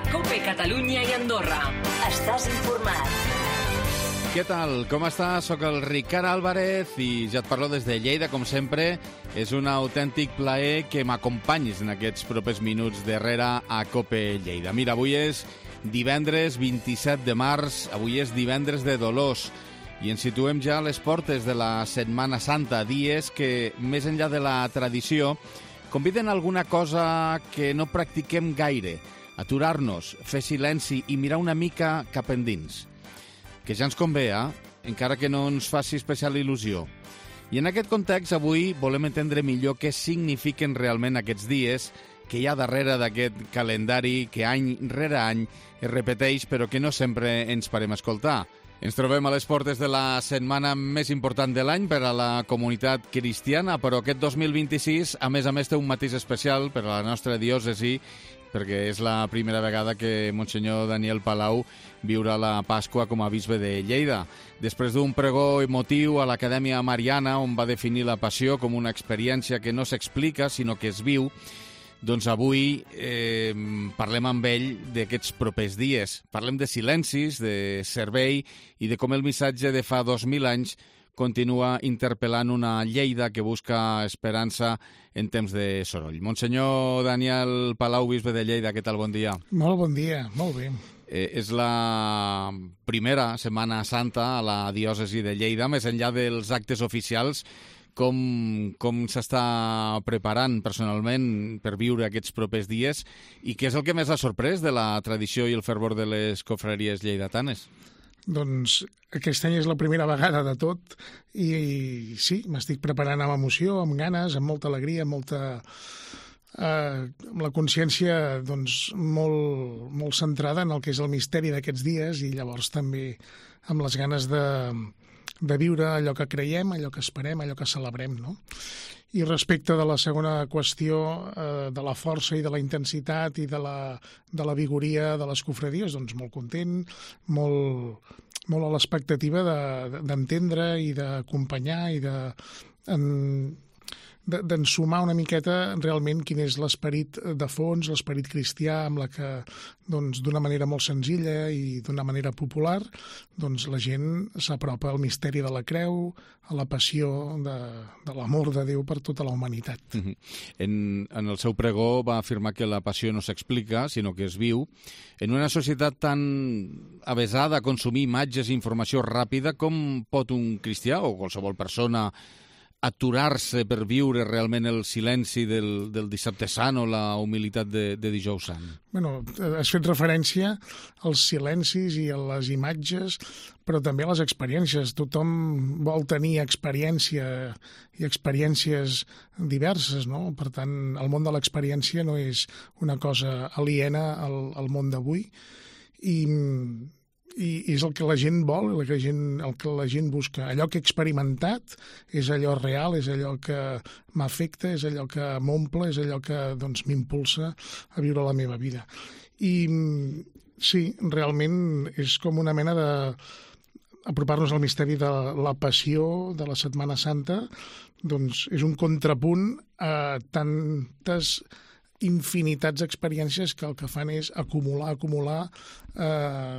COPE Catalunya i Andorra. Estàs informat. Què tal? Com estàs? Soc el Ricard Álvarez i ja et parlo des de Lleida, com sempre. És un autèntic plaer que m'acompanyis en aquests propers minuts darrere a COPE Lleida. Mira, avui és divendres 27 de març, avui és divendres de Dolors i ens situem ja a les portes de la Setmana Santa, dies que, més enllà de la tradició, conviden a alguna cosa que no practiquem gaire, aturar-nos, fer silenci i mirar una mica cap endins. Que ja ens convé, encara que no ens faci especial il·lusió. I en aquest context, avui volem entendre millor què signifiquen realment aquests dies que hi ha darrere d'aquest calendari que any rere any es repeteix, però que no sempre ens parem a escoltar. Ens trobem a les portes de la setmana més important de l'any per a la comunitat cristiana, però aquest 2026, a més, té un matís especial per a la nostra diòcesi, perquè és la primera vegada que Monsenyor Daniel Palau viurà la Pasqua com a bisbe de Lleida. Després d'un pregó emotiu a l'Acadèmia Mariana, on va definir la passió com una experiència que no s'explica, sinó que es viu, doncs avui parlem amb ell d'aquests propers dies. Parlem de silencis, de servei i de com el missatge de fa 2000 anys continua interpel·lant una Lleida que busca esperança en temps de soroll. Monsenyor Daniel Palau, bisbe de Lleida, què tal? Bon dia. Molt bon dia, molt bé. És la primera Setmana Santa a la diòcesi de Lleida, més enllà dels actes oficials. Com s'està preparant personalment per viure aquests propers dies i què és el que més ha sorprès de la tradició i el fervor de les confraries lleidatanes? Doncs aquest any és la primera vegada de tot i sí, m'estic preparant amb emoció, amb ganes, amb molta alegria, amb la consciència doncs, molt centrada en el que és el misteri d'aquests dies i llavors també amb les ganes de viure allò que creiem, allò que esperem, allò que celebrem, no? I respecte de la segona qüestió, de la força i de la intensitat i de la vigoria de les confraries, doncs molt content, molt a l'expectativa d'entendre i d'acompanyar i d'ensumar una miqueta realment quin és l'esperit de fons, l'esperit cristià amb la que, doncs, d'una manera molt senzilla i d'una manera popular, doncs la gent s'apropa al misteri de la creu, a la passió de l'amor de Déu per tota la humanitat. En el seu pregó va afirmar que la passió no s'explica, sinó que es viu. En una societat tan avesada a consumir imatges i informació ràpida, com pot un cristià o qualsevol persona aturar-se per viure realment el silenci del dissabte sant o la humilitat de dijous sant? Bueno, has fet referència als silencis i a les imatges, però també a les experiències. Tothom vol tenir experiència i experiències diverses, no? Per tant, el món de l'experiència no és una cosa aliena al món d'avui i és el que la gent vol, el que la gent busca. Allò que he experimentat és allò real, és allò que m'afecta, és allò que m'omple, és allò que doncs, m'impulsa a viure la meva vida. I sí, realment és com una mena d'apropar-nos al misteri de la passió de la Setmana Santa, doncs és un contrapunt a tantes infinitats d'experiències que el que fan és acumular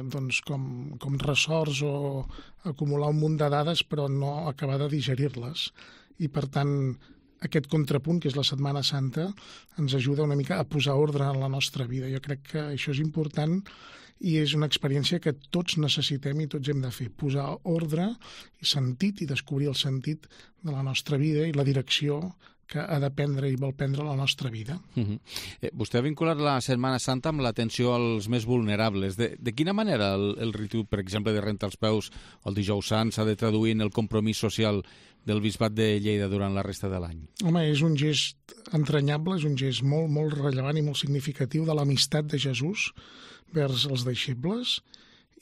doncs com ressorts o acumular un munt de dades però no acabar de digerir-les. I per tant aquest contrapunt, que és la Setmana Santa, ens ajuda una mica a posar ordre en la nostra vida. Jo crec que això és important i és una experiència que tots necessitem i tots hem de fer, posar ordre i sentit i descobrir el sentit de la nostra vida i la direcció que ha de prendre i vol prendre la nostra vida. Vostè ha vinculat la Setmana Santa amb l'atenció als més vulnerables. De quina manera el ritu, per exemple, de rentar els peus el dijous sant s'ha de traduir en el compromís social del Bisbat de Lleida durant la resta de l'any? Home, és un gest entranyable, és un gest molt, molt rellevant i molt significatiu de l'amistat de Jesús vers els deixebles,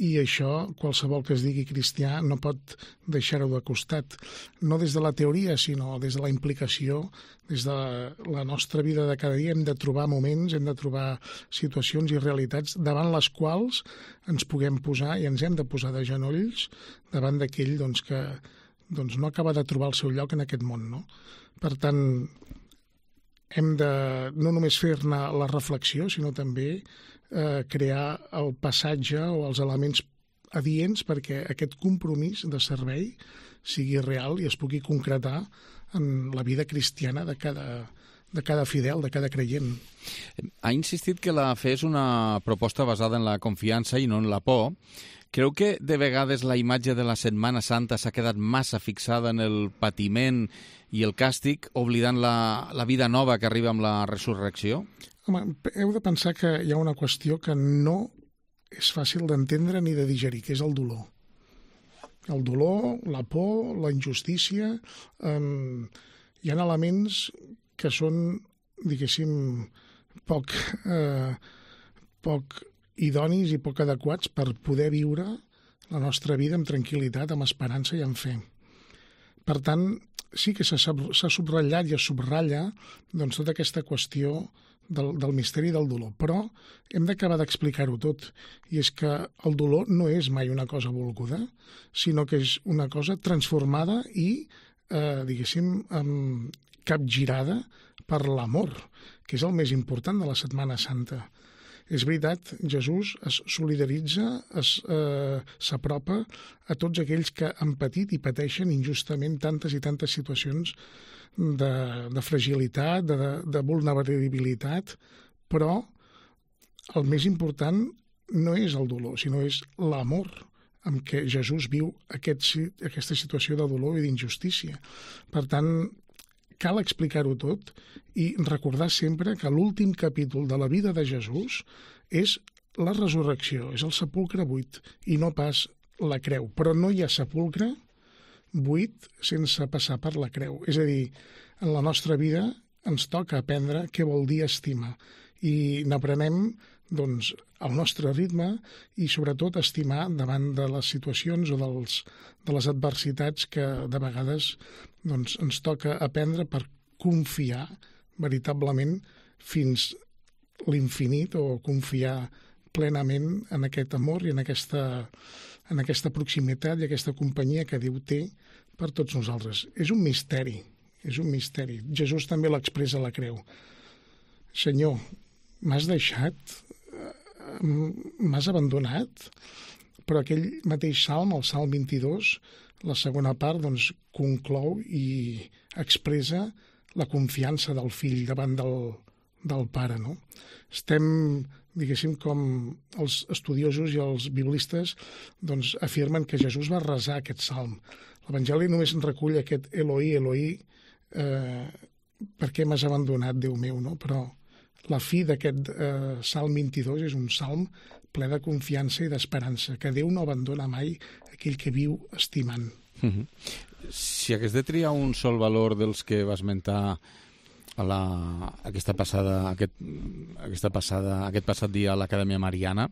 i això, qualsevol que es digui cristià, no pot deixar-ho de costat. No des de la teoria, sinó des de la implicació, des de la nostra vida de cada dia hem de trobar moments, hem de trobar situacions i realitats davant les quals ens puguem posar i ens hem de posar de genolls davant d'aquell que no acaba de trobar el seu lloc en aquest món, no? Per tant, hem de no només fer-ne la reflexió, sinó també crear el passatge o els elements adients perquè aquest compromís de servei sigui real i es pugui concretar en la vida cristiana de cada fidel, de cada creient. Ha insistit que la fe és una proposta basada en la confiança i no en la por. Creu que de vegades la imatge de la Setmana Santa s'ha quedat massa fixada en el patiment i el càstig, oblidant la vida nova que arriba amb la resurrecció? Home, heu de pensar que hi ha una qüestió que no és fàcil d'entendre ni de digerir, que és el dolor. El dolor, la por, la injustícia... hi ha elements que són, diguéssim, poc idonis i poc adequats per poder viure la nostra vida amb tranquil·litat, amb esperança i amb fe. Per tant, sí que s'ha subratllat i es subratlla doncs, tota aquesta qüestió del misteri del dolor, però hem d'acabar d'explicar-ho tot, i és que el dolor no és mai una cosa volguda, sinó que és una cosa transformada i, diguéssim, capgirada per l'amor, que és el més important de la Setmana Santa. És veritat, Jesús es solidaritza, s'apropa a tots aquells que han patit i pateixen injustament tantes i tantes situacions de fragilitat, de vulnerabilitat, però el més important no és el dolor, sinó és l'amor amb què Jesús viu aquesta situació de dolor i d'injustícia. Per tant, cal explicar-ho tot i recordar sempre que l'últim capítol de la vida de Jesús és la resurrecció, és el sepulcre buit i no pas la creu. Però no hi ha sepulcre buit sense passar per la creu. És a dir, en la nostra vida ens toca aprendre què vol dir estimar i n'aprenem doncs, al nostre ritme i sobretot estimar davant de les situacions o de les adversitats que de vegades doncs, ens toca aprendre per confiar veritablement fins l'infinit o confiar plenament en aquest amor i en aquesta proximitat i aquesta companyia que Déu té per tots nosaltres. És un misteri, és un misteri. Jesús també l'expressa a la creu. Senyor, m'has deixat, m'has abandonat, però aquell mateix salm, el salm 22, la segona part, doncs, conclou i expressa la confiança del fill davant del pare, no? Estem, diguéssim, com els estudiosos i els biblistes doncs, afirmen que Jesús va resar aquest salm. L'Evangeli només en recull aquest Eloi, Eloi, per què m'has abandonat, Déu meu, no? Però la fi d'aquest salm 22 és un salm ple de confiança i d'esperança, que Déu no abandona mai aquell que viu estimant. Si hagués de triar un sol valor dels que va esmentar aquest passat dia a l'Acadèmia Mariana,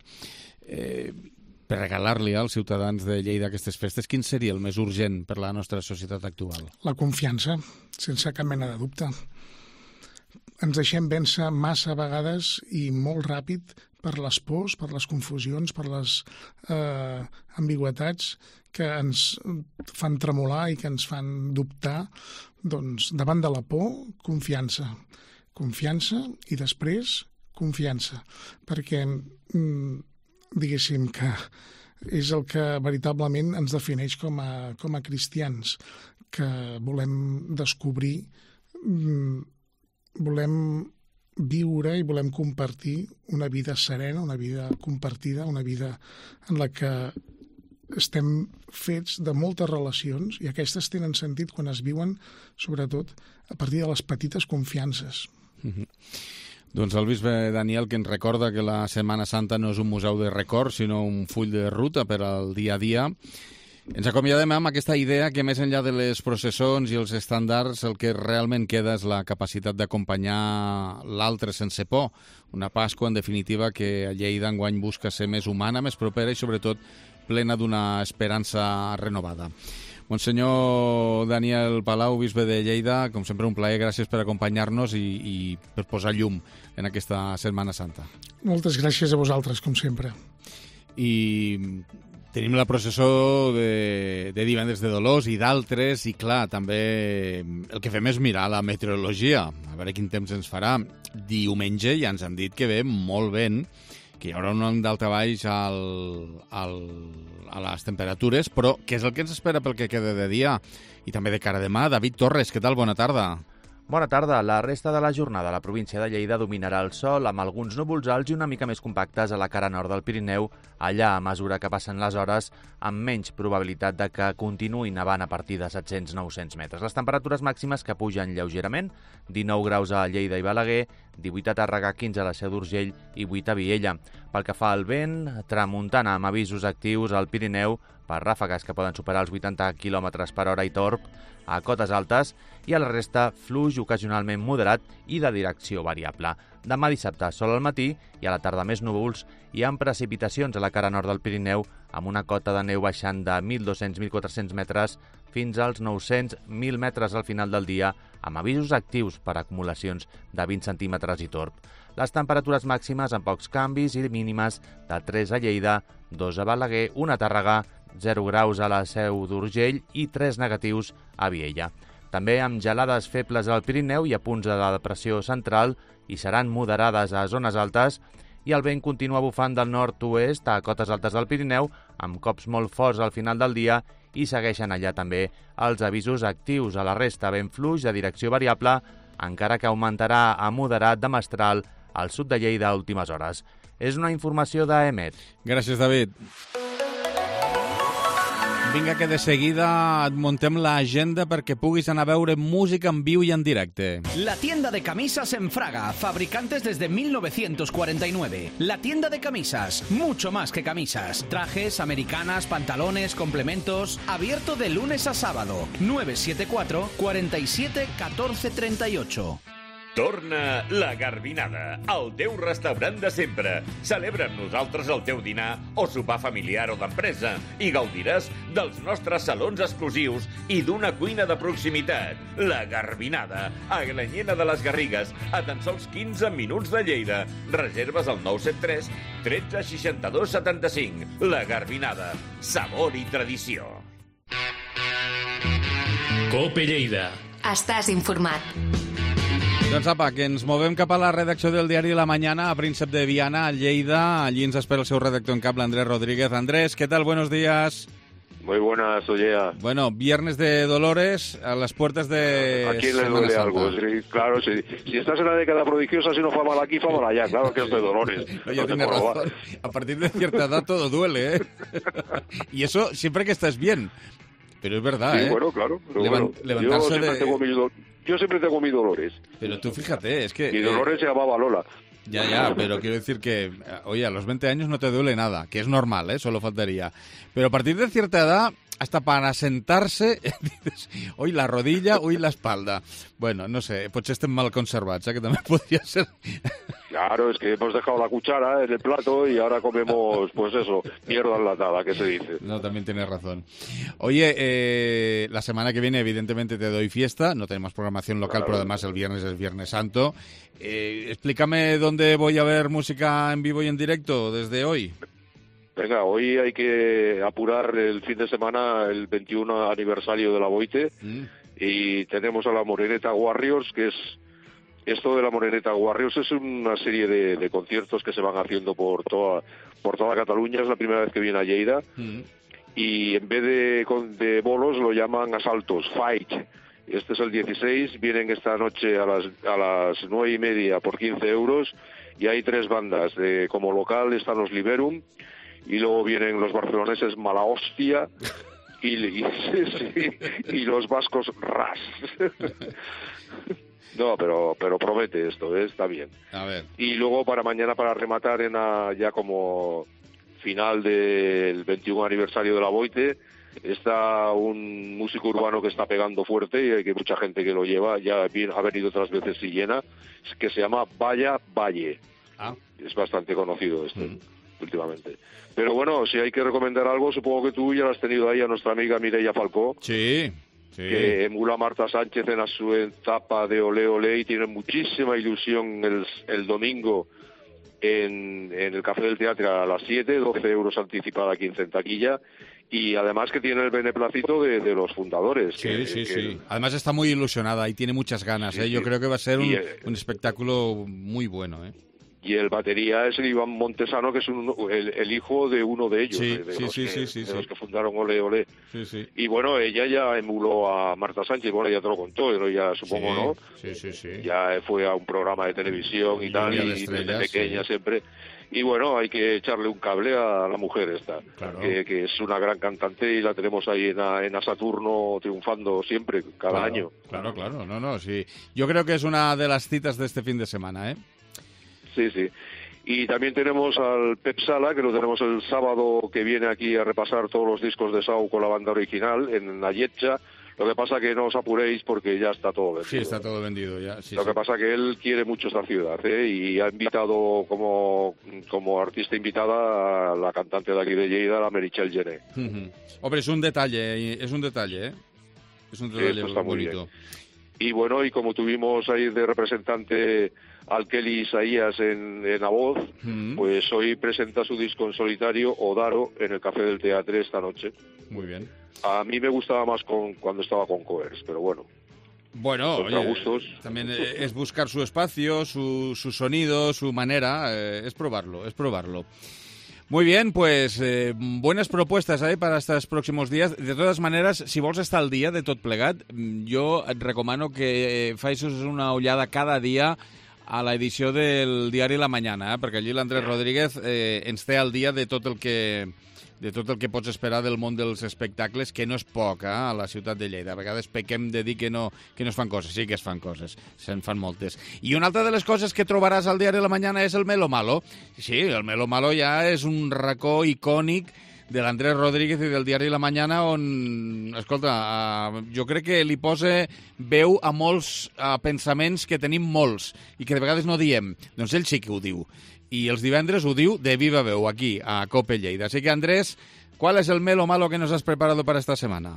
per regalar-li als ciutadans de Lleida aquestes festes, quin seria el més urgent per la nostra societat actual? La confiança, sense cap mena de dubte. Ens deixem vèncer massa vegades i molt ràpid per les pors, per les confusions, per les ambigüitats que ens fan tremolar i que ens fan dubtar. Doncs davant de la por, confiança. Confiança i després confiança. Perquè diguéssim que és el que veritablement ens defineix com a cristians, que volem descobrir, volem viure i volem compartir una vida serena, una vida compartida, una vida en la que estem fets de moltes relacions i aquestes tenen sentit quan es viuen, sobretot, a partir de les petites confiances. Doncs el bisbe Daniel, que ens recorda que la Setmana Santa no és un museu de records, sinó un full de ruta per al dia a dia. Ens acomiadem amb aquesta idea que més enllà de les processons i els estàndards el que realment queda és la capacitat d'acompanyar l'altre sense por. Una Pasqua, en definitiva, que a Lleida enguany busca ser més humana, més propera i sobretot plena d'una esperança renovada. Monsenyor Daniel Palau, bisbe de Lleida, com sempre un plaer, gràcies per acompanyar-nos i per posar llum en aquesta Setmana Santa. Moltes gràcies a vosaltres, com sempre. I Tenim la processó de divendres de Dolors i d'altres, i clar, també el que fem és mirar la meteorologia, a veure quin temps ens farà. Diumenge ja ens han dit que ve molt vent, que hi haurà un daltabaix a les temperatures, però què és el que ens espera pel que queda de dia? I també de cara a demà. David Torres, què tal? Bona tarda. Bona tarda. La resta de la jornada a la província de Lleida dominarà el sol amb alguns núvols alts i una mica més compactes a la cara nord del Pirineu, allà a mesura que passen les hores, amb menys probabilitat de que continuï nevant a partir de 700-900 metres. Les temperatures màximes que pugen lleugerament, 19 graus a Lleida i Balaguer, 18 a Tàrrega, 15 a la Seu d'Urgell i 8 a Viella. Pel que fa al vent, tramuntana amb avisos actius al Pirineu per ràfegues que poden superar els 80 km per hora i torb a cotes altes, i a la resta fluix ocasionalment moderat i de direcció variable. Demà dissabte sol al matí i a la tarda més núvols i amb precipitacions a la cara nord del Pirineu amb una cota de neu baixant de 1.200-1.400 metres fins als 900-1.000 metres al final del dia, amb avisos actius per acumulacions de 20 centímetres i torb. Les temperatures màximes amb pocs canvis i mínimes de 3 a Lleida, 2 a Balaguer, 1 a Tàrrega, 0 graus a la Seu d'Urgell i 3 negatius a Viella. També amb gelades febles al Pirineu i a punts de la depressió central i seran moderades a zones altes, i el vent continua bufant del nord-oest a cotes altes del Pirineu amb cops molt forts al final del dia, i segueixen allà també els avisos actius. A la resta vent fluix de direcció variable, encara que augmentarà a moderat de mestral al sud de Lleida a últimes hores. És una informació d'EMET. Gràcies, David. Vinga, que de seguida et montem l'agenda perquè puguis anar a veure música en viu i en directe. La tienda de camisas en Fraga, fabricantes desde 1949. La tienda de camisas, mucho más que camisas. Trajes, americanas, pantalones, complementos. Abierto de lunes a sábado. 974 47 14 38. Torna la Garbinada, el teu restaurant de sempre. Celebra amb nosaltres el teu dinar o sopar familiar o d'empresa i gaudiràs dels nostres salons exclusius i d'una cuina de proximitat. La Garbinada, a Glanyena de les Garrigues, a tan sols 15 minuts de Lleida. Reserves al 973 13 62 75. La Garbinada, sabor i tradició. Cope Lleida. Estàs informat. Doncs apa, que ens movem cap a la redacció del diari La Mañana, a Príncep de Viana, a Lleida. Allí ens espera el seu redactor en cap, Andrés Rodríguez. Andrés, ¿qué tal? Buenos días. Muy buenas, Ollea. Bueno, viernes de Dolores, a las puertas de ¿A quién le duele algo? Sí, claro, si estás en la década prodigiosa, si no fa mal aquí, fa mal allá. Claro que es de Dolores. Oye, tienes razón. A partir de cierta edad todo duele, ¿eh? Y eso siempre que estás bien. Pero es verdad, sí, ¿eh? Bueno, claro. Pero levantarse yo siempre tengo mis dolores. Pero tú fíjate, es que... Mi Dolores se llamaba Lola. Ya, pero quiero decir que, oye, a los 20 años no te duele nada, que es normal, solo faltaría. Pero a partir de cierta edad, hasta para sentarse, dices, hoy la rodilla, hoy la espalda. Bueno, no sé, potser estem mal conservats, que también podría ser... Claro, es que hemos dejado la cuchara en el plato y ahora comemos, pues eso, mierda enlatada, ¿qué se dice? No, también tienes razón. Oye, la semana que viene evidentemente te doy fiesta, no tenemos programación local, claro. Pero además el viernes es Viernes Santo. Explícame dónde voy a ver música en vivo y en directo desde hoy. Venga, hoy hay que apurar el fin de semana, el 21 aniversario de la Boite, y tenemos a la Moreneta Warriors, que es... Esto de la Moreneta Warriors es una serie de conciertos que se van haciendo por toda Cataluña. Es la primera vez que viene a Lleida. Y en vez de bolos lo llaman asaltos, fight. Este es el 16, vienen esta noche a las 9:30 por 15 euros. Y hay 3 bandas. Como local están los Liberum. Y luego vienen los barceloneses Mala Hostia. Y los vascos Ras. No, pero promete esto, está bien. A ver. Y luego para mañana, para rematar ya como final del 21 aniversario de la Boite, está un músico urbano que está pegando fuerte y hay que mucha gente que lo lleva, ya ha venido otras veces y llena, que se llama Vaya Valle. Es bastante conocido últimamente. Pero bueno, si hay que recomendar algo, supongo que tú ya lo has tenido ahí a nuestra amiga Mireia Falcó. Sí. Que emula a Marta Sánchez en su etapa de Ole Ole y tiene muchísima ilusión el domingo en el Café del Teatro a las 7, 12 euros anticipada, 15 en taquilla, y además que tiene el beneplácito de los fundadores. Sí. Además está muy ilusionada y tiene muchas ganas. Sí. Yo creo que va a ser un espectáculo muy bueno. Y el batería es el Iván Montesano, que es el hijo de uno de ellos, de los que fundaron Ole Ole. Sí. Y bueno, ella ya emuló a Marta Sánchez, bueno, ya te lo contó, pero ya supongo, ¿no? Sí. Ya fue a un programa de televisión y tal, y desde pequeña siempre. Y bueno, hay que echarle un cable a la mujer esta, claro. que es una gran cantante y la tenemos ahí en A Saturno triunfando siempre, cada año. Claro, sí. Yo creo que es una de las citas de este fin de semana, Sí. Y también tenemos al Pep Sala, que lo tenemos el sábado, que viene aquí a repasar todos los discos de Sau con la banda original en la Yetcha. Lo que pasa que no os apuréis porque ya está todo vendido. Sí, está todo vendido ya. Lo que pasa que él quiere mucho esta ciudad, y ha invitado como artista invitada a la cantante de aquí de Lleida, la Meritxell Gené. Hombre, es un detalle, Es un detalle está muy bonito. Bien. Y bueno, y como tuvimos ahí de representante al Kelly Isaías en la voz, pues hoy presenta su disco en solitario, Odaro, en el Café del Teatre esta noche. Muy bien. A mí me gustaba más cuando estaba con Coers, pero bueno. Bueno, gustos. También es buscar su espacio, su sonido, su manera, es probarlo. Muy bien, pues buenas propostes para estos próximos dies. De totes maneres, si vols estar al dia de tot plegat, jo et recomano que facis una ullada cada dia a l'edició del diari La Mañana, perquè allí l'Andrés Rodríguez ens té al dia de tot el que pots esperar del món dels espectacles, que no és poc, a la ciutat de Lleida. A vegades pequem de dir que no es fan coses. Sí que es fan coses, se'n fan moltes. I una altra de les coses que trobaràs al diari La Mañana és el Melo Malo. Sí, el Melo Malo ja és un racó icònic de l'Andrés Rodríguez i del diari La Mañana, on, escolta, jo crec que li posa veu a molts pensaments que tenim molts i que de vegades no diem. Doncs ell sí que ho diu. Y els divendres ho diu de viva veu aquí, a COPE Lleida. Así que, Andrés, ¿cuál es el Melo Malo que nos has preparado para esta semana?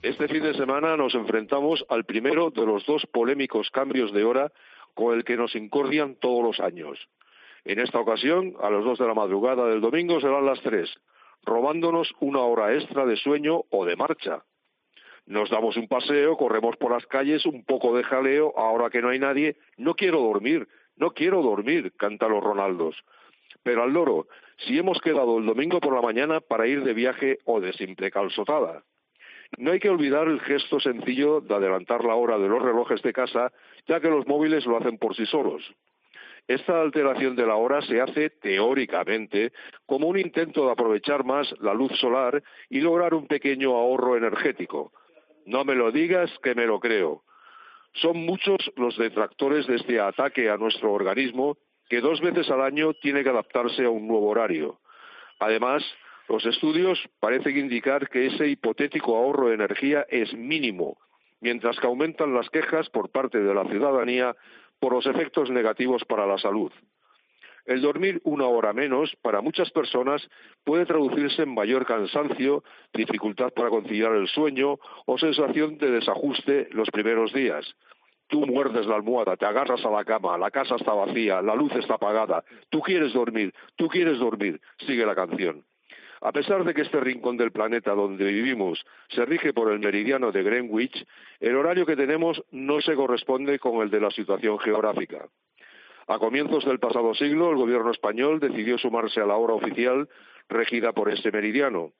Este fin de semana nos enfrentamos al primero de los dos polémicos cambios de hora con el que nos incordian todos los años. En esta ocasión, a las 2 de la madrugada del domingo serán las 3, robándonos una hora extra de sueño o de marcha. Nos damos un paseo, corremos por las calles, un poco de jaleo, ahora que no hay nadie. No quiero dormir, cantan los Ronaldos. Pero al loro, si hemos quedado el domingo por la mañana para ir de viaje o de simple calzotada. No hay que olvidar el gesto sencillo de adelantar la hora de los relojes de casa, ya que los móviles lo hacen por sí solos. Esta alteración de la hora se hace, teóricamente, como un intento de aprovechar más la luz solar y lograr un pequeño ahorro energético. No me lo digas, que me lo creo. Son muchos los detractores de este ataque a nuestro organismo, que 2 veces al año tiene que adaptarse a un nuevo horario. Además, los estudios parecen indicar que ese hipotético ahorro de energía es mínimo, mientras que aumentan las quejas por parte de la ciudadanía por los efectos negativos para la salud. El dormir 1 hora menos, para muchas personas, puede traducirse en mayor cansancio, dificultad para conciliar el sueño o sensación de desajuste los primeros días. Tú muerdes la almohada, te agarras a la cama, la casa está vacía, la luz está apagada, tú quieres dormir, sigue la canción. A pesar de que este rincón del planeta donde vivimos se rige por el meridiano de Greenwich, el horario que tenemos no se corresponde con el de la situación geográfica. A comienzos del pasado siglo, el gobierno español decidió sumarse a la hora oficial regida por este meridiano,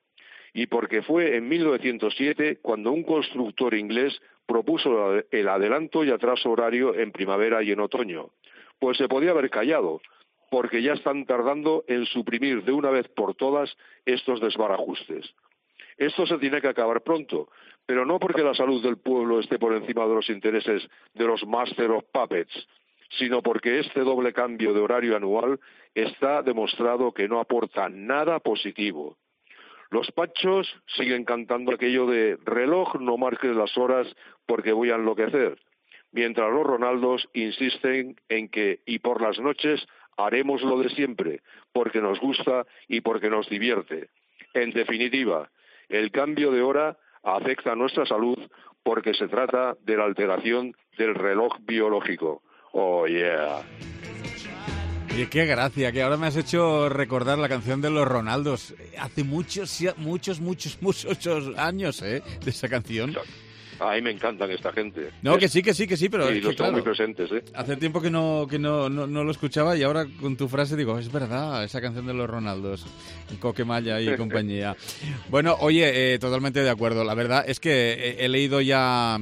y porque fue en 1907 cuando un constructor inglés propuso el adelanto y atraso horario en primavera y en otoño. Pues se podía haber callado, porque ya están tardando en suprimir de una vez por todas estos desbarajustes. Esto se tiene que acabar pronto, pero no porque la salud del pueblo esté por encima de los intereses de los Master of Puppets, sino porque este doble cambio de horario anual está demostrado que no aporta nada positivo. Los pachos siguen cantando aquello de reloj no marques las horas porque voy a enloquecer, mientras los Ronaldos insisten en que y por las noches haremos lo de siempre, porque nos gusta y porque nos divierte. En definitiva, el cambio de hora afecta a nuestra salud porque se trata de la alteración del reloj biológico. Oh, yeah. Oye, qué gracia, que ahora me has hecho recordar la canción de los Ronaldos. Hace muchos años, de esa canción. A mí me encantan esta gente. No, que sí, pero y es los que, tengo claro, muy presentes, hace tiempo que no lo escuchaba y ahora con tu frase digo, es verdad, esa canción de los Ronaldos, Coquemalla y compañía. Bueno, oye, totalmente de acuerdo. La verdad es que he leído ya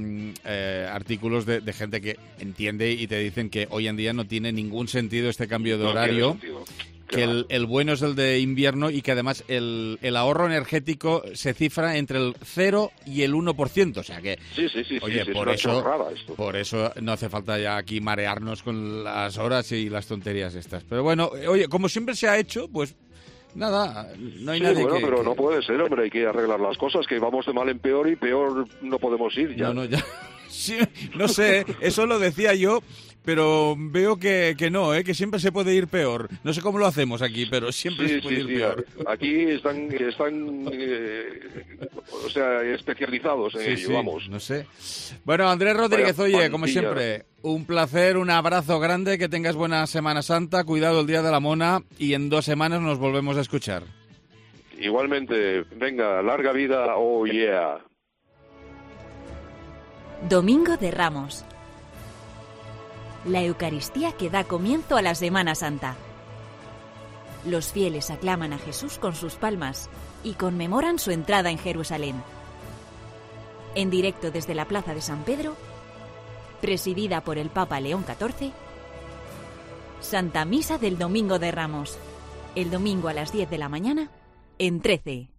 artículos de gente que entiende y te dicen que hoy en día no tiene ningún sentido este cambio de horario. Que el bueno es el de invierno y que además el ahorro energético se cifra entre el 0 y el 1%. O sea que, oye, por eso no hace falta ya aquí marearnos con las horas y las tonterías estas. Pero bueno, oye, como siempre se ha hecho, pues nada, no hay nadie bueno, pero no puede ser, hombre, hay que arreglar las cosas, que vamos de mal en peor y peor no podemos ir ya. No, ya. Sí, no sé, eso lo decía yo, pero veo que no, que siempre se puede ir peor. No sé cómo lo hacemos aquí, pero siempre se puede ir peor. Aquí están especializados en ello, vamos. No sé. Bueno, Andrés Rodríguez, oye, como siempre, un placer, un abrazo grande, que tengas buena Semana Santa, cuidado el Día de la Mona y en 2 semanas nos volvemos a escuchar. Igualmente, venga, larga vida, oh yeah. Domingo de Ramos. La Eucaristía que da comienzo a la Semana Santa. Los fieles aclaman a Jesús con sus palmas y conmemoran su entrada en Jerusalén. En directo desde la Plaza de San Pedro, presidida por el Papa León XIV, Santa Misa del Domingo de Ramos. El domingo a las 10 de la mañana, en 13.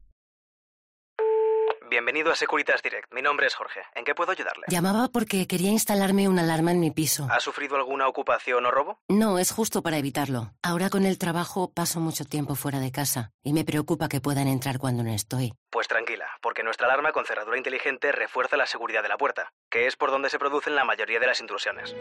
Bienvenido a Securitas Direct. Mi nombre es Jorge. ¿En qué puedo ayudarle? Llamaba porque quería instalarme una alarma en mi piso. ¿Ha sufrido alguna ocupación o robo? No, es justo para evitarlo. Ahora con el trabajo paso mucho tiempo fuera de casa y me preocupa que puedan entrar cuando no estoy. Pues tranquila, porque nuestra alarma con cerradura inteligente refuerza la seguridad de la puerta, que es por donde se producen la mayoría de las intrusiones.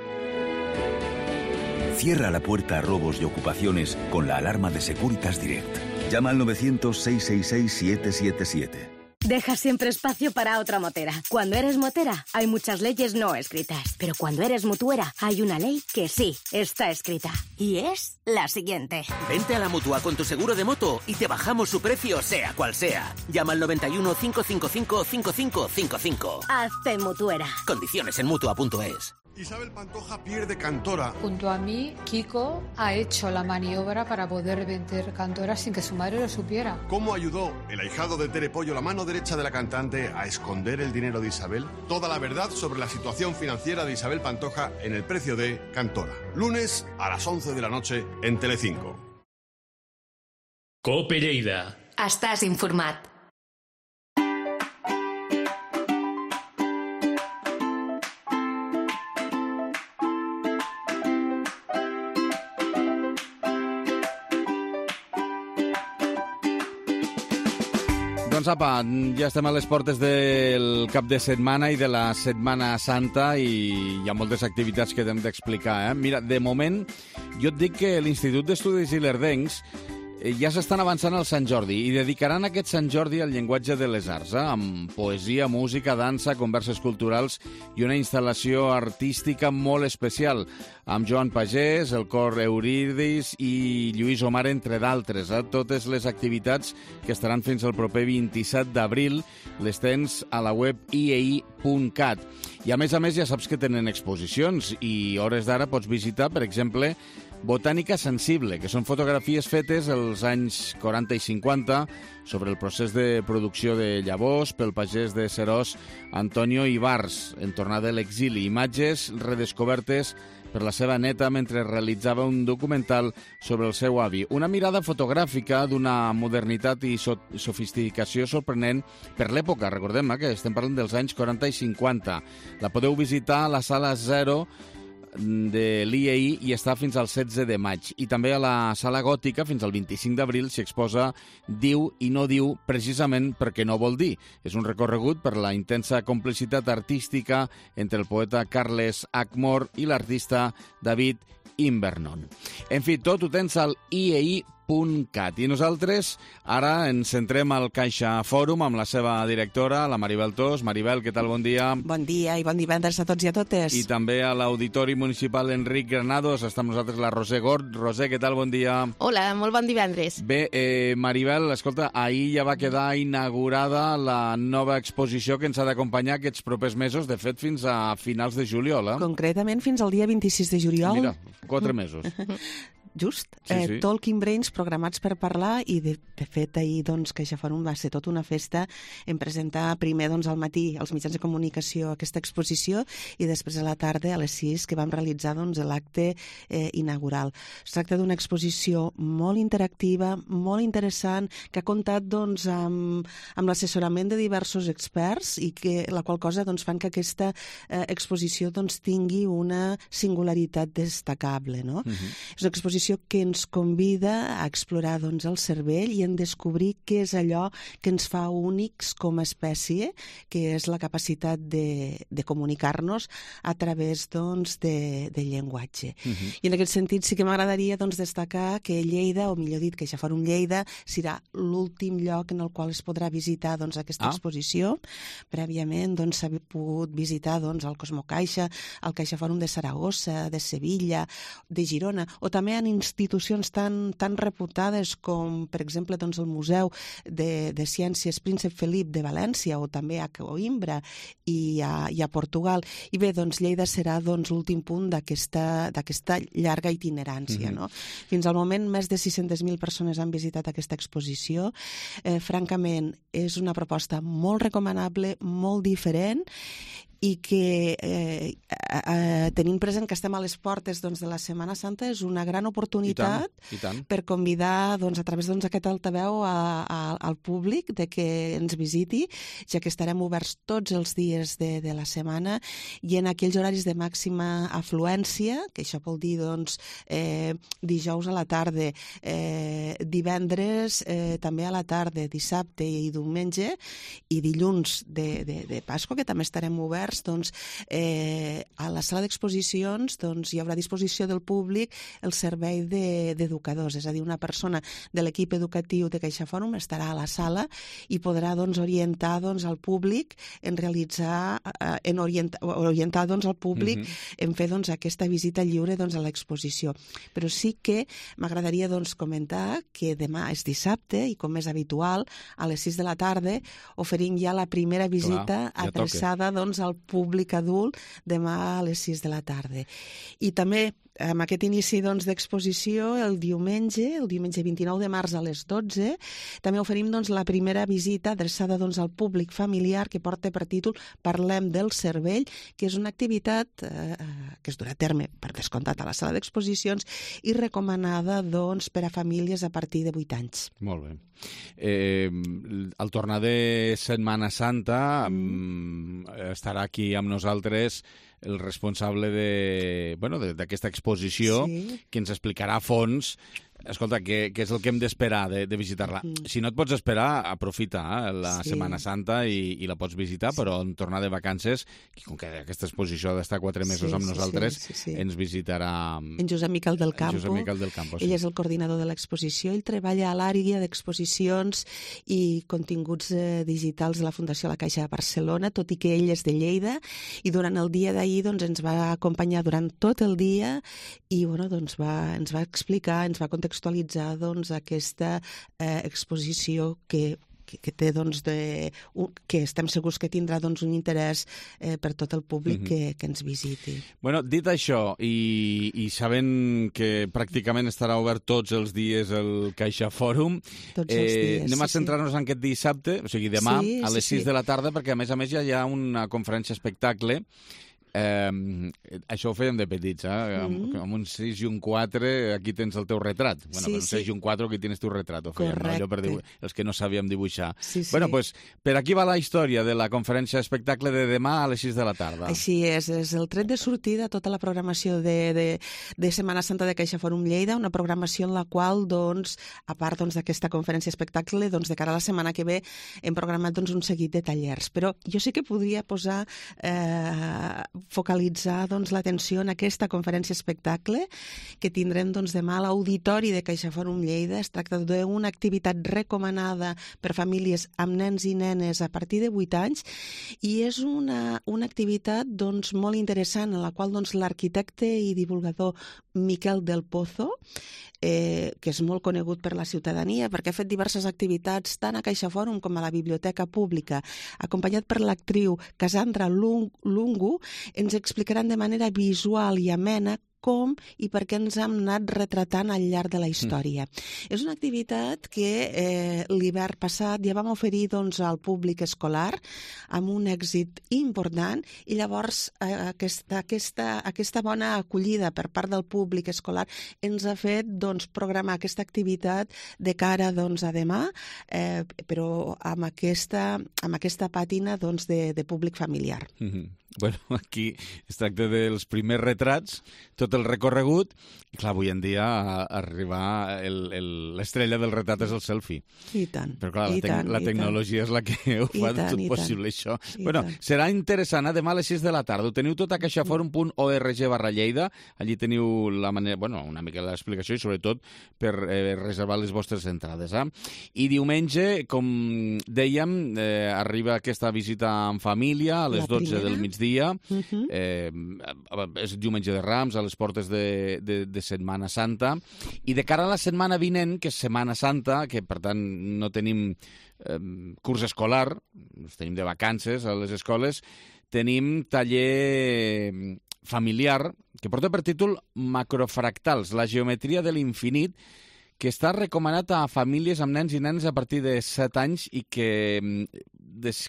Cierra la puerta a robos y ocupaciones con la alarma de Securitas Direct. Llama al 900-666-777. Deja siempre espacio para otra motera. Cuando eres motera, hay muchas leyes no escritas. Pero cuando eres mutuera, hay una ley que sí está escrita. Y es la siguiente. Vente a la Mutua con tu seguro de moto y te bajamos su precio, sea cual sea. Llama al 91 555 5555. Hazte mutuera. Condiciones en Mutua.es. Isabel Pantoja pierde Cantora. Junto a mí, Kiko ha hecho la maniobra para poder vender Cantora sin que su madre lo supiera. ¿Cómo ayudó el ahijado de Tere Pollo, la mano derecha de la cantante, a esconder el dinero de Isabel? Toda la verdad sobre la situación financiera de Isabel Pantoja en El precio de Cantora. Lunes a las 11 de la noche en Telecinco. COPE Lleida. Estàs informat. Doncs apa, ja estem a les portes del cap de setmana i de la Setmana Santa i hi ha moltes activitats que hem d'explicar. Mira, de moment, jo et dic que l'Institut d'Estudis Ilerdencs ja s'estan avançant al Sant Jordi i dedicaran aquest Sant Jordi al llenguatge de les arts, amb poesia, música, dansa, converses culturals i una instal·lació artística molt especial, amb Joan Pagès, el cor Eurídis i Lluís Omar, entre d'altres. Totes les activitats que estaran fins al proper 27 d'abril les tens a la web iei.cat. I a més ja saps que tenen exposicions i hores d'ara pots visitar, per exemple, Botànica Sensible, que són fotografies fetes als anys 40 i 50 sobre el procés de producció de llavors pel pagès de Seròs, Antonio Ibars, en tornada de l'exili. Imatges redescobertes per la seva neta mentre realitzava un documental sobre el seu avi. Una mirada fotogràfica d'una modernitat i sofisticació sorprenent per l'època. Recordem que estem parlant dels anys 40 i 50. La podeu visitar a la sala 0 de l'IEI i està fins al 16 de maig. I també a la Sala Gòtica fins al 25 d'abril s'hi exposa Diu i no diu, precisament perquè no vol dir. És un recorregut per la intensa complicitat artística entre el poeta Carles Ackmore i l'artista David Invernon. En fi, tot ho tens al iei.cat. CaixaForum.cat. I nosaltres ara ens centrem al Caixa Fòrum amb la seva directora, la Maribel Tos. Maribel, què tal? Bon dia. Bon dia i bon divendres a tots i a totes. I també a l'Auditori Municipal Enric Granados està amb nosaltres la Roser Gord. Roser, què tal? Bon dia. Hola, molt bon divendres. Bé, Maribel, escolta, ahir ja va quedar inaugurada la nova exposició que ens ha d'acompanyar aquests propers mesos, de fet fins a finals de juliol. Concretament fins al dia 26 de juliol. Mira, 4 mesos. Just, sí. Talking Brains programats per parlar i de fet ahir CaixaForum va ser tota una festa en presentar primer al matí als mitjans de comunicació aquesta exposició i després a la tarda a les 6 que vam realitzar l'acte inaugural. Es tracta d'una exposició molt interactiva, molt interessant, que ha comptat amb l'assessorament de diversos experts i que la qual cosa fan que aquesta exposició tingui una singularitat destacable. No? És una exposició que ens convida a explorar el cervell i a descobrir què és allò que ens fa únics com a espècie, que és la capacitat de comunicar-nos a través de llenguatge. I en aquest sentit sí que m'agradaria destacar que Lleida, o millor dit, CaixaForum Lleida, serà l'últim lloc en el qual es podrà visitar aquesta exposició. Prèviament s'ha pogut visitar el Cosmocaixa, el CaixaForum de Saragossa, de Sevilla, de Girona, o també en institucions tan reputades com, per exemple, el Museu de Ciències Príncep Felip de València o també a Coimbra i a Portugal. I bé, Lleida serà l'últim punt d'aquesta llarga itinerància. No? Fins al moment, més de 600.000 persones han visitat aquesta exposició. Francament, és una proposta molt recomanable, molt diferent, i que tenint present que estem a les portes de la Setmana Santa és una gran oportunitat I tant. per convidar a través d'aquest altaveu al públic de que ens visiti, ja que estarem oberts tots els dies de la setmana i en aquells horaris de màxima afluència, que això vol dir dijous a la tarda, divendres també a la tarda, dissabte i diumenge, i dilluns de Pasqua, que també estarem oberts. A la sala d'exposicions hi haurà a disposició del públic el servei d'educadors, és a dir, una persona de l'equip educatiu de CaixaForum estarà a la sala i podrà orientar al públic en orientar al públic en fer aquesta visita lliure a l'exposició. Però sí que m'agradaria comentar que demà és dissabte i, com és habitual, a les 6 de la tarda oferim ja la primera visita adreçada al públic adult demà a les 6 de la tarda. I també amb aquest inici d'exposició, el diumenge 29 de març a les 12, també oferim la primera visita adreçada al públic familiar que porta per títol Parlem del cervell, que és una activitat que es durà a terme, per descomptat, a la sala d'exposicions i recomanada per a famílies a partir de 8 anys. Molt bé. Al tornar de Setmana Santa estarà aquí amb nosaltres el responsable d'aquesta exposició, que ens explicarà a fons què és el que hem d'esperar de visitar-la. Si no et pots esperar, aprofita la Setmana Santa i la pots visitar, però en tornar de vacances, com que aquesta exposició ha d'estar 4 mesos amb nosaltres, ens visitarà en Josep Miquel del Campo. Ell és el coordinador de l'exposició. Ell treballa a l'àrea d'exposicions i continguts digitals de la Fundació La Caixa de Barcelona, tot i que ell és de Lleida, i durant el dia d'ahir ens va acompanyar durant tot el dia i ens va explicar, ens va contextualitzar aquesta exposició que té, que estem segurs que tindrà un interès per tot el públic que ens visiti. Dit això, i sabent que pràcticament estarà obert tots els dies el CaixaForum, anem a centrar-nos en aquest dissabte, o sigui, demà, a les 6 de la tarda, perquè a més ja hi ha una conferència espectacle. Això ho fèiem de petits, amb un 6 i un 4 aquí tens el teu retrat. Un 6 i un 4 aquí tens tu retrat, ho fèiem, allò per els que no sabíem dibuixar. Per aquí va la història de la conferència espectacle de demà a les 6 de la tarda. Així és el tret de sortida a tota la programació de Setmana Santa de CaixaForum Lleida, una programació en la qual, a part d'aquesta conferència espectacle, de cara a la setmana que ve hem programat un seguit de tallers, però jo sí que podria posar focalitzar l'atenció en aquesta conferència espectacle que tindrem demà a l'Auditori de CaixaForum Lleida. Es tracta d'una activitat recomanada per famílies amb nens i nenes a partir de 8 anys i és una activitat molt interessant en la qual l'arquitecte i divulgador Miquel del Pozo, que és molt conegut per la ciutadania perquè ha fet diverses activitats tant a CaixaForum com a la Biblioteca Pública, acompanyat per l'actriu Cassandra Lungu, ens explicaran de manera visual i amena com i per què ens hem anat retratant al llarg de la història. És una activitat que l'hivern passat ja vam oferir al públic escolar amb un èxit important i llavors aquesta bona acollida per part del públic escolar ens ha fet programar aquesta activitat de cara a demà, però amb aquesta pàtina de públic familiar. Bueno, aquí es tracta dels primers retrats, tot el recorregut, i clar, avui en dia arribar l'estrella del retrat és el selfie. I tant. Però clar, la tecnologia és la que ho fa tot possible, això. Bueno, serà interessant, demà a les 6 de la tarda. Ho teniu tot a caixaforum.org/Lleida. Allí teniu la manera, una mica l'explicació i sobretot per reservar les vostres entrades. I diumenge, com dèiem, arriba aquesta visita en família a les 12 del migdia. És diumenge de Rams, a les portes de Setmana Santa, i de cara a la setmana vinent, que és Setmana Santa, que per tant no tenim curs escolar, tenim de vacances a les escoles, tenim taller familiar que porta per títol Macrofractals, la geometria de l'infinit, que està recomanat a famílies amb nens i nenes a partir de 7 anys i que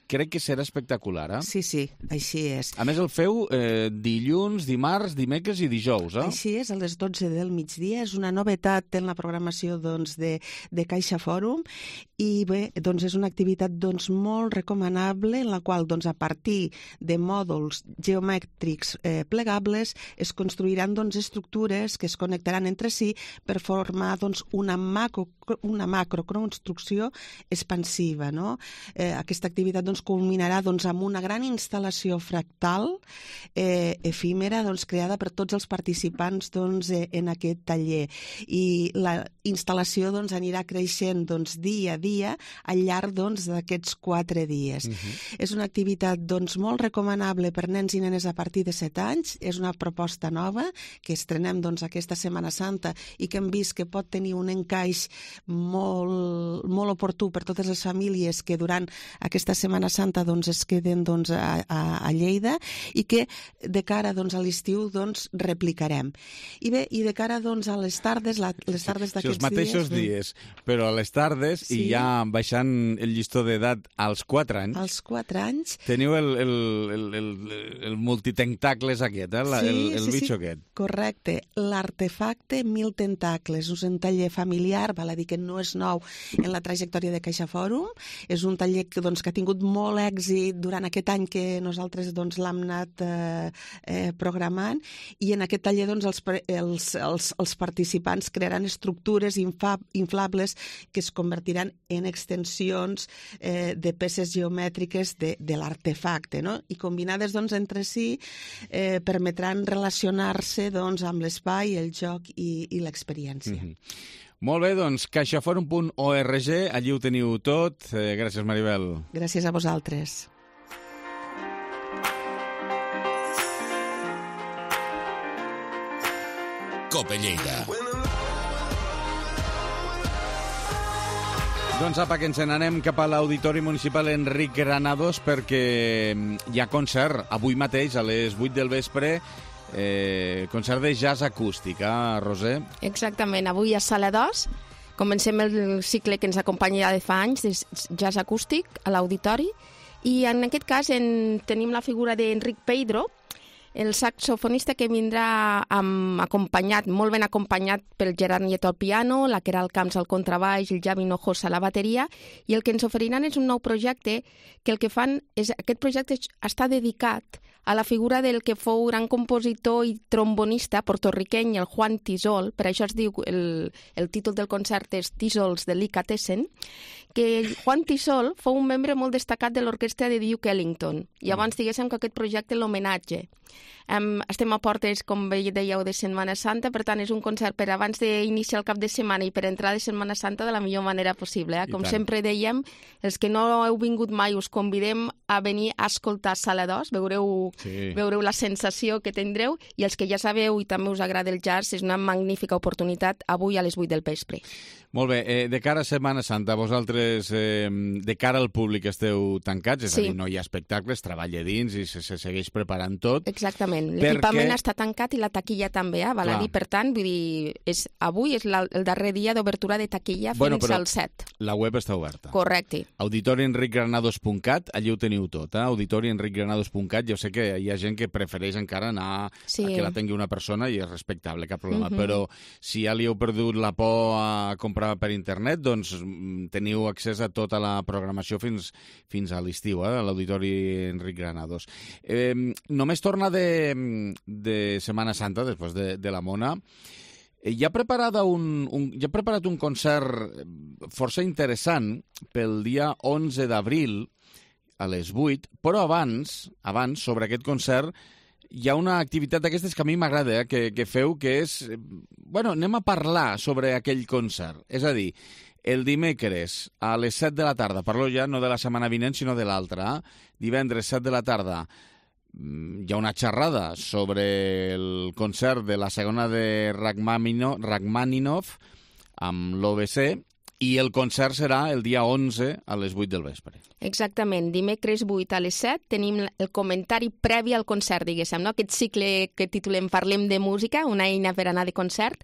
crec que serà espectacular. Sí, així és. A més, el feu dilluns, dimarts, dimecres i dijous. Així és, a les 12 del migdia. És una novetat en la programació de CaixaForum i bé, és una activitat molt recomanable en la qual a partir de mòduls geomètrics plegables es construiran estructures que es connectaran entre si per formar una macroconstrucció expansiva. Aquesta activitat culminarà amb una gran instal·lació fractal efímera creada per tots els participants en aquest taller. I la instal·lació anirà creixent dia a dia al llarg d'aquests 4 dies. És una activitat molt recomanable per nens i nenes a partir de 7 anys. És una proposta nova que estrenem aquesta Setmana Santa i que hem vist que pot tenir un encaix molt oportú per totes les famílies que durant aquesta Setmana Santa es queden a Lleida i que de cara a l'estiu replicarem. I bé, i de cara a les tardes d'aquests dies... Els mateixos dies, però a les tardes i ja baixant el llistó d'edat als 4 anys... Als 4 anys... Teniu el multitentacles aquest, el bitxo aquest. Correcte. L'artefacte 1000 tentacles. És un taller familiar, val a dir que no és nou en la trajectòria de CaixaForum. És un taller que ha tingut molt èxit durant aquest any que nosaltres l'hem anat programant i en aquest taller els participants crearan estructures inflables que es convertiran en extensions de peces geomètriques de l'artefacte, i combinades entre si permetran relacionar-se amb l'espai, el joc i l'experiència. Molt bé, caixaforum.org, allí ho teniu tot. Gràcies, Maribel. Gràcies a vosaltres. Cope Lleida. Doncs apa, que ens n'anem cap a l'Auditori Municipal Enric Granados perquè hi ha concert avui mateix a les 8 del vespre, concert de jazz acústic, Roser? Exactament, avui a Sala 2 comencem el cicle que ens acompanya ja de fa anys, de jazz acústic a l'Auditori, i en aquest cas tenim la figura d'Enric Pedro, el saxofonista que vindrà molt ben acompanyat pel Gerard Nieto al piano, la Queralt Camps al contrabaix, el Javi Hinojosa a la bateria, i el que ens oferiran és un nou projecte que el que fan és... Aquest projecte està dedicat a la figura del que fou gran compositor i trombonista portorriqueny, el Juan Tisol, per això es diu, el títol del concert és Tisols Delicatessen, que Juan Tisol fou un membre molt destacat de l'orquestra de Duke Ellington. Llavors, diguéssim que aquest projecte l'homenatge. Estem a portes, com dèieu, de Setmana Santa, per tant, és un concert per abans d'iniciar el cap de setmana i per entrar de Setmana Santa de la millor manera possible. Com sempre dèiem, els que no heu vingut mai us convidem a venir a escoltar Sala 2, veureu la sensació que tindreu, i els que ja sabeu i també us agrada el jazz, és una magnífica oportunitat avui a les 8 del vespre. Molt bé, de cara a Setmana Santa, vosaltres, de cara al públic, esteu tancats, és a dir, no hi ha espectacles, treballa dins i se segueix preparant tot. Exactament, l'equipament està tancat i la taquilla també, val a dir, per tant, vull dir, avui és el darrer dia d'obertura de taquilla fins al 7. La web està oberta. Correcte. auditorienricgranados.cat, allí ho teniu tot, auditorienricgranados.cat, jo sé que hi ha gent que prefereix encara anar a que la tingui una persona i és respectable, cap problema, però si ja li heu perdut la por a comprar per internet, doncs teniu accés a tota la programació fins a l'estiu, a l'Auditori Enric Granados. Només torna de Setmana Santa, després de la Mona. Ja ha preparat un concert força interessant pel dia 11 d'abril a les 8, però abans, sobre aquest concert, hi ha una activitat d'aquestes que a mi m'agrada, que feu, que és... Bueno, anem a parlar sobre aquell concert. És a dir, el dimecres a les 7 de la tarda, parlo ja no de la setmana vinent, sinó de l'altra, divendres 7 de la tarda, hi ha una xerrada sobre el concert de la segona de Rachmaninoff amb l'OBC, i el concert serà el dia 11 a les 8 del vespre. Exactament. Dimecres 8 a les 7 tenim el comentari previ al concert, diguéssim, no? Aquest cicle que titulem Parlem de música, una eina per anar de concert.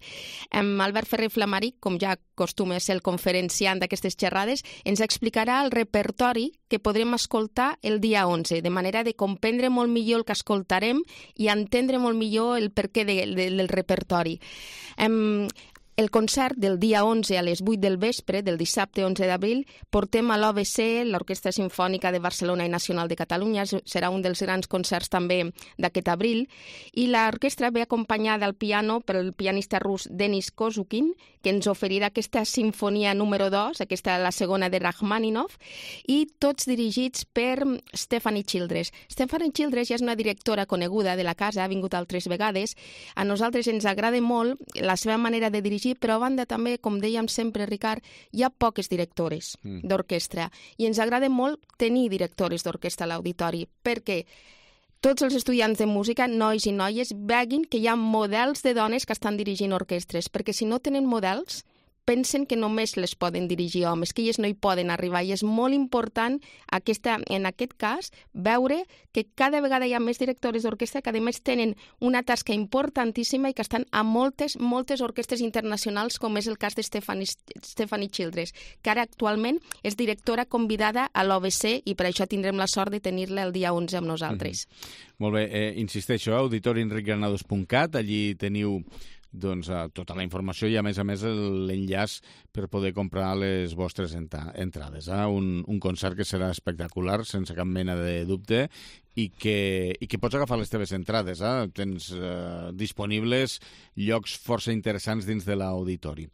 Albert Ferrer Flamaric, com ja acostuma a ser el conferenciant d'aquestes xerrades, ens explicarà el repertori que podrem escoltar el dia 11, de manera de comprendre molt millor el que escoltarem i entendre molt millor el perquè del repertori. El concert del dia 11 a les 8 del vespre, del dissabte 11 d'abril, portem a l'OBC, l'Orquestra Simfònica de Barcelona i Nacional de Catalunya, serà un dels grans concerts també d'aquest abril, i l'orquestra ve acompanyada al piano pel pianista rus Denis Kozukin, que ens oferirà aquesta sinfonia número 2, aquesta la segona de Rachmaninoff, i tots dirigits per Stephanie Childress. Stephanie Childress ja és una directora coneguda de la casa, ha vingut altres vegades. A nosaltres ens agrada molt la seva manera de dirigir, però a banda també, com dèiem sempre, Ricard, hi ha poques directores d'orquestra i ens agrada molt tenir directores d'orquestra a l'auditori, perquè tots els estudiants de música, nois i noies, veguin que hi ha models de dones que estan dirigint orquestres, perquè si no tenen models, pensen que només les poden dirigir homes, que elles no hi poden arribar, i és molt important en aquest cas veure que cada vegada hi ha més directores d'orquestra que a més tenen una tasca importantíssima i que estan a moltes orquestres internacionals, com és el cas de Stephanie Childress, que ara actualment és directora convidada a l'OBC i per això tindrem la sort de tenir-la el dia 11 amb nosaltres. Molt bé, insisteixo, auditorienricgranados.cat, allí teniu tota la informació i a més l'enllaç per poder comprar les vostres entrades. Un concert que serà espectacular, sense cap mena de dubte, i que pots agafar les teves entrades. Tens disponibles llocs força interessants dins de l'auditori.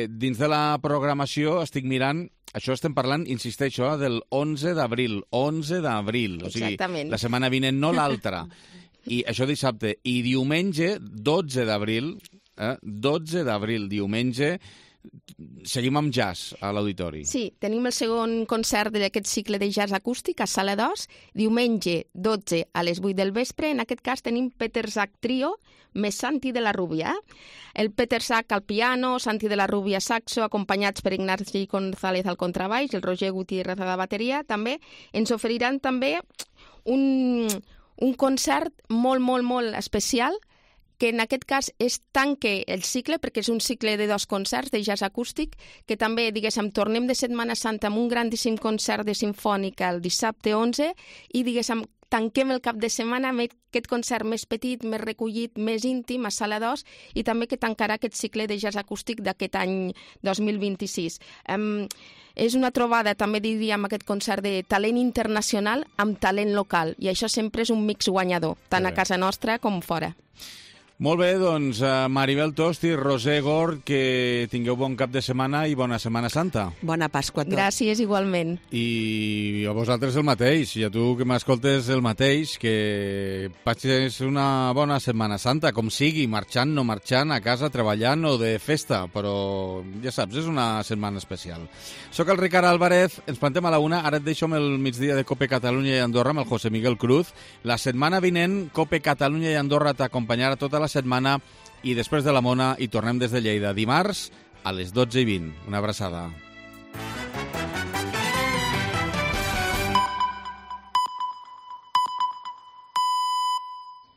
Dins de la programació estic mirant, això estem parlant, insisteixo, del 11 d'abril. 11 d'abril, o sigui, la setmana vinent, no l'altra. I això dissabte. I diumenge, 12 d'abril, diumenge, seguim amb jazz a l'auditori. Sí, tenim el segon concert d'aquest cicle de jazz acústic a Sala 2, diumenge 12 a les 8 del vespre. En aquest cas tenim Peter Zach Trio més Santi de la Rubia. El Peter Zach al piano, Santi de la Rubia saxo, acompanyats per Ignasi González al contrabaix, el Roger Gutiérrez a la bateria. També ens oferiran també un concert molt especial, que en aquest cas tanque el cicle, perquè és un cicle de 2 concerts de jazz acústic, que també, diguéssim, tornem de Setmana Santa amb un grandíssim concert de sinfònica el dissabte 11 i, diguéssim, tanquem el cap de setmana amb aquest concert més petit, més recollit, més íntim, a Sala 2, i també que tancarà aquest cicle de jazz acústic d'aquest any 2026. És una trobada, també diríem, aquest concert de talent internacional amb talent local, i això sempre és un mix guanyador, tant a casa nostra com fora. Molt bé, doncs, Maribel Tost i Roser Gord, que tingueu bon cap de setmana i bona Setmana Santa. Bona Pasqua a tots. Gràcies, igualment. I a vosaltres el mateix, i a tu que m'escoltes el mateix, que passis una bona Setmana Santa, com sigui, marxant, no marxant, a casa, treballant o de festa, però ja saps, és una setmana especial. Soc el Ricard Álvarez, ens plantem a la 1, ara et deixo amb el migdia de Cope Catalunya i Andorra amb el José Miguel Cruz. La setmana vinent, Cope Catalunya i Andorra t'acompanyarà tota la setmana i després de la Mona hi tornem des de Lleida dimarts a les 12:20. Una abraçada.